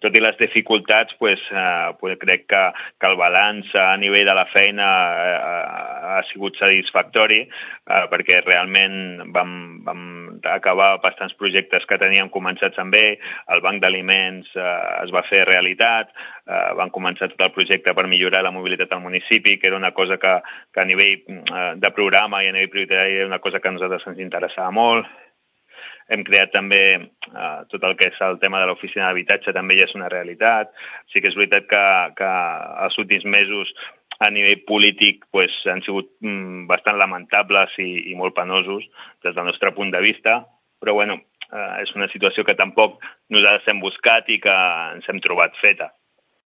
tot i les dificultats, crec que el balanç a nivell de la feina ha sigut satisfactori, perquè realment vam acabar bastants projectes que teníem començats amb ell, el banc d'aliments es va fer realitat, van començar tot el projecte per millorar la mobilitat al municipi, que era una cosa que a nivell de programa i a nivell prioritari era una cosa que a nosaltres ens interessava molt. Hem creat també tot el que és el tema de l'oficina d'habitatge, també ja és una realitat. Sí que és veritat que els últims mesos a nivell polític han sigut bastant lamentables i molt penosos des del nostre punt de vista, però és una situació que tampoc nosaltres hem buscat i que ens hem trobat feta.